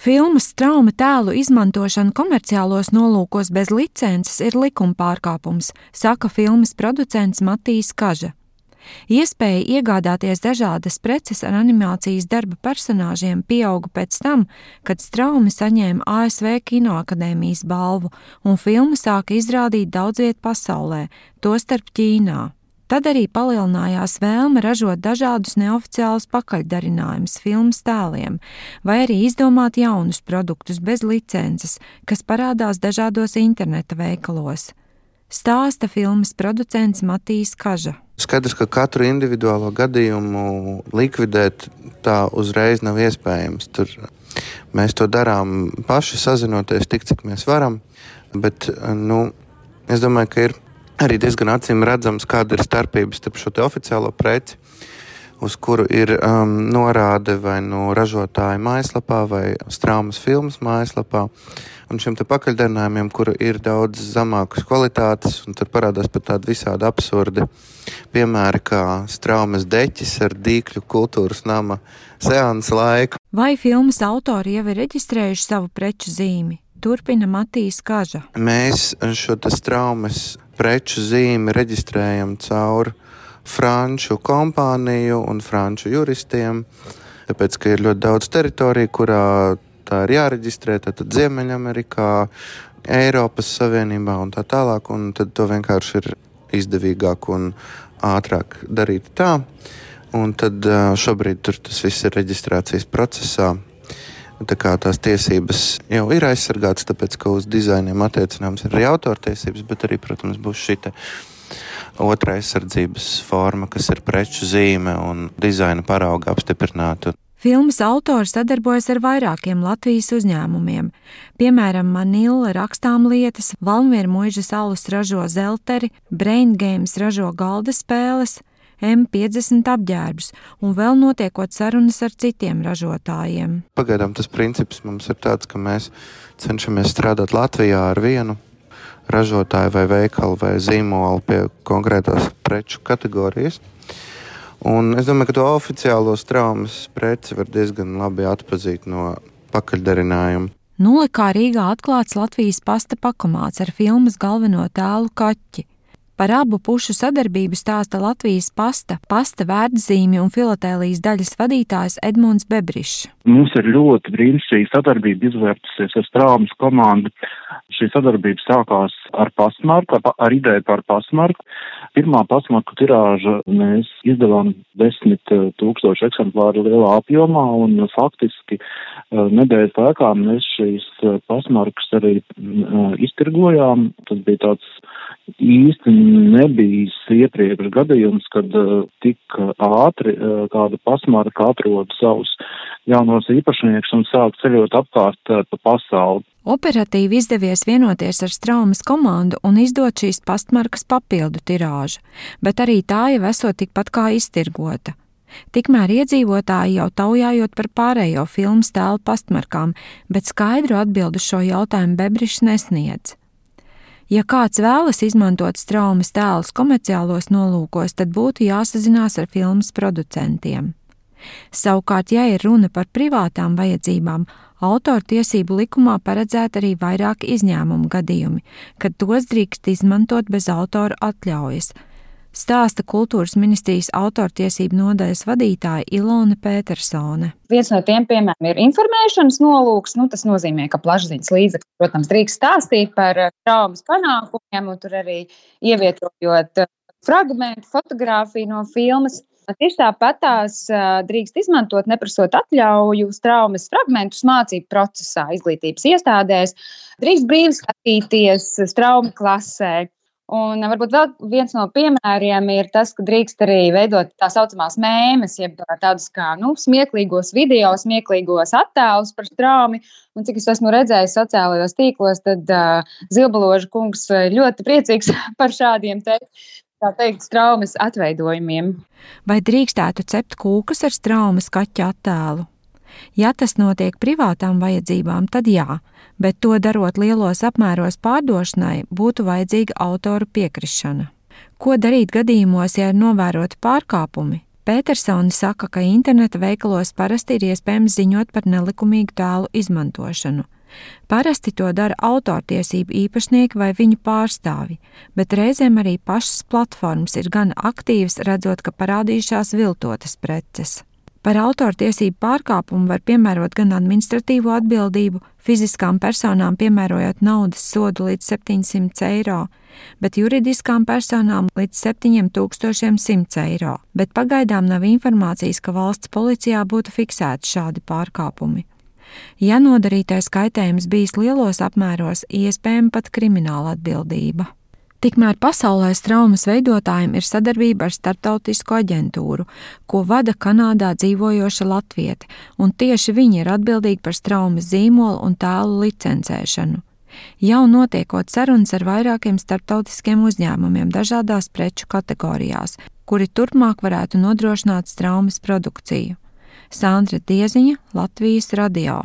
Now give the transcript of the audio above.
Filmas Strauma tēlu izmantošana komerciālos nolūkos bez licences ir likuma pārkāpums, saka filmas producents Matijs Kaža. Iespēja iegādāties dažādas preces ar animācijas darba personāžiem pieauga pēc tam, kad Straumi saņēma ASV Kinoakadēmijas balvu un filmu sāka izrādīt daudz viet pasaulē, tostarp Ķīnā. Tad arī palielinājās vēlme ražot dažādus neoficiālus pakaļdarinājumus filmas tēliem, vai arī izdomāt jaunus produktus bez licences, kas parādās dažādos interneta veikalos. Stāsta filmas producents Matijs Kaža. Skaidrs, ka katru individuālo gadījumu likvidēt tā uzreiz nav iespējams. Mēs to darām paši, sazinoties tik, cik mēs varam, bet es domāju, ka ir arī diezgan acīm redzams, kāda ir starpības starp šo te oficiālo preci, uz kuru ir norāde vai no ražotāja mājaslapā vai Straumas filmas mājaslapā, un šiem te pakaļdarinājumiem, kuru ir daudz zemākas kvalitātes, un tur parādās pat tādi visādi absurdi piemēri, kā Straumas deķis ar Dīkļu kultūras nama seansa laiku. Vai filmas autori jau ir reģistrējuši savu preču zīmi? Turpina Matijs Kaža. Mēs šo te Straumas preču zīmi reģistrējam caur franču kompāniju un franču juristiem, tāpēc, ka ir ļoti daudz teritoriju, kurā tā ir jāreģistrē, tad Ziemeļamerikā, Eiropas Savienībā un tā tālāk, un tad to vienkārši ir izdevīgāk un ātrāk darīt tā, un tad šobrīd tur tas viss ir reģistrācijas procesā. Tā kā tās tiesības jau ir aizsargātas, tāpēc, ka uz dizainiem attiecināms ir arī autortiesības, bet arī, protams, būs šita otra aizsardzības forma, kas ir preču zīme un dizaina parauga apstiprināta. Filmas autori sadarbojas ar vairākiem Latvijas uzņēmumiem. Piemēram, Manila rakstām lietas, Valmiera muižas alus ražo zelteri, Brain Games ražo galda spēles, M50 apģērbus un vēl notiekot sarunas ar citiem ražotājiem. Pagaidām tas princips mums ir tāds, ka mēs cenšamies strādāt Latvijā ar vienu ražotāju vai veikalu vai zīmolu pie konkrētās preču kategorijas. Un es domāju, ka to oficiālo Straumas preci var diezgan labi atpazīt no pakaļdarinājuma. Nulikā Rīgā atklāts Latvijas pasta pakomāts ar filmas galveno tēlu Kaķi. Par abu pušu sadarbību stāsta Latvijas pasta vērtzīmju un filatēlijas daļas vadītājs Edmunds Bebrišs. Mums ir ļoti brīnišķīga sadarbība izvērtusies ar Straumas komandu. Šī sadarbība sākās ar pastmarku, ar ideju par pastmarku. Pirmā pastmarku tirāža mēs izdevām 10 000 eksemplāru lielā apjomā, un faktiski nedēļas laikā mēs šīs pastmarkas arī iztirgojām. Tas bija tāds īsti nebijis iepriekš gadījums, kad tik ātri kāda pastmarka atrod savus jaunos īpašniekus un sāk ceļot apkārt pa pasauli. Operatīvi izdevies vienoties ar Straumas komandu un izdot šīs pastmarkas papildu tirāžu, bet arī tā jau esot tikpat kā iztirgota. Tikmēr iedzīvotāji jau taujājot par pārējo filmas tēlu pastmarkām, bet skaidru atbildu šo jautājumu Bebrišs nesniedz. Ja kāds vēlas izmantot Straumas tēlus komerciālos nolūkos, tad būtu jāsazinās ar filmas producentiem. Savukārt, ja ir runa par privātām vajadzībām, autortiesību likumā paredzēta arī vairāki izņēmumu gadījumi, kad tos drīkst izmantot bez autora atļaujas, stāsta Kultūras ministrijas autortiesību nodaļas vadītāja Ilona Pētersone. Viens no tiem, piemēram, ir informēšanas nolūks. Tas nozīmē, ka plašsaziņas līdzekļi, protams, drīkst stāstīt par Straumas panākumiem un tur arī ievietojot fragmentu, fotogrāfiju no filmas. Tieši tāpat tās drīkst izmantot, neprasot atļauju, Straumas fragmentus mācību procesā, izglītības iestādēs. Drīkst brīvi skatīties Strauma klasē. Un varbūt vēl viens no piemēriem ir tas, ka drīkst arī veidot tā saucamās mēmes, jeb tādus kā smieklīgos video, smieklīgos attēlus par Straumi. Un cik es esmu redzējis sociālajos tīklos, tad Zilbaloža kungs ļoti priecīgs par šādiem Straumas atveidojumiem. Vai drīkstētu cept kūkas ar Straumas kaķa attēlu? Ja tas notiek privātām vajadzībām, tad jā, bet to darot lielos apmēros pārdošanai, būtu vajadzīga autoru piekrišana. Ko darīt gadījumos, ja ir novēroti pārkāpumi? Petersoni saka, ka interneta veikalos parasti ir iespējams ziņot par nelikumīgu tēlu izmantošanu. Parasti to dara autortiesību īpašnieki vai viņu pārstāvji, bet reizēm arī pašas platformas ir gan aktīvas, redzot, ka parādījušās viltotas preces. Par autortiesību pārkāpumu var piemērot gan administratīvo atbildību, fiziskām personām piemērojot naudas sodu līdz 700 eiro, bet juridiskām personām līdz 7100 eiro, bet pagaidām nav informācijas, ka valsts policijā būtu fiksēti šādi pārkāpumi. Ja nodarītais kaitējums bijis lielos apmēros, iespējama pat krimināla atbildība. Tikmēr pasaulē traumas veidotājiem ir sadarbība ar starptautisku aģentūru, ko vada Kanādā dzīvojoša latviete, un tieši viņi ir atbildīgi par traumas zīmolu un tēlu licencēšanu. Jau notiekot sarunas ar vairākiem starptautiskiem uzņēmumiem dažādās preču kategorijās, kuri turpmāk varētu nodrošināt traumas produkciju. Sandra Dieziņa, Latvijas radio.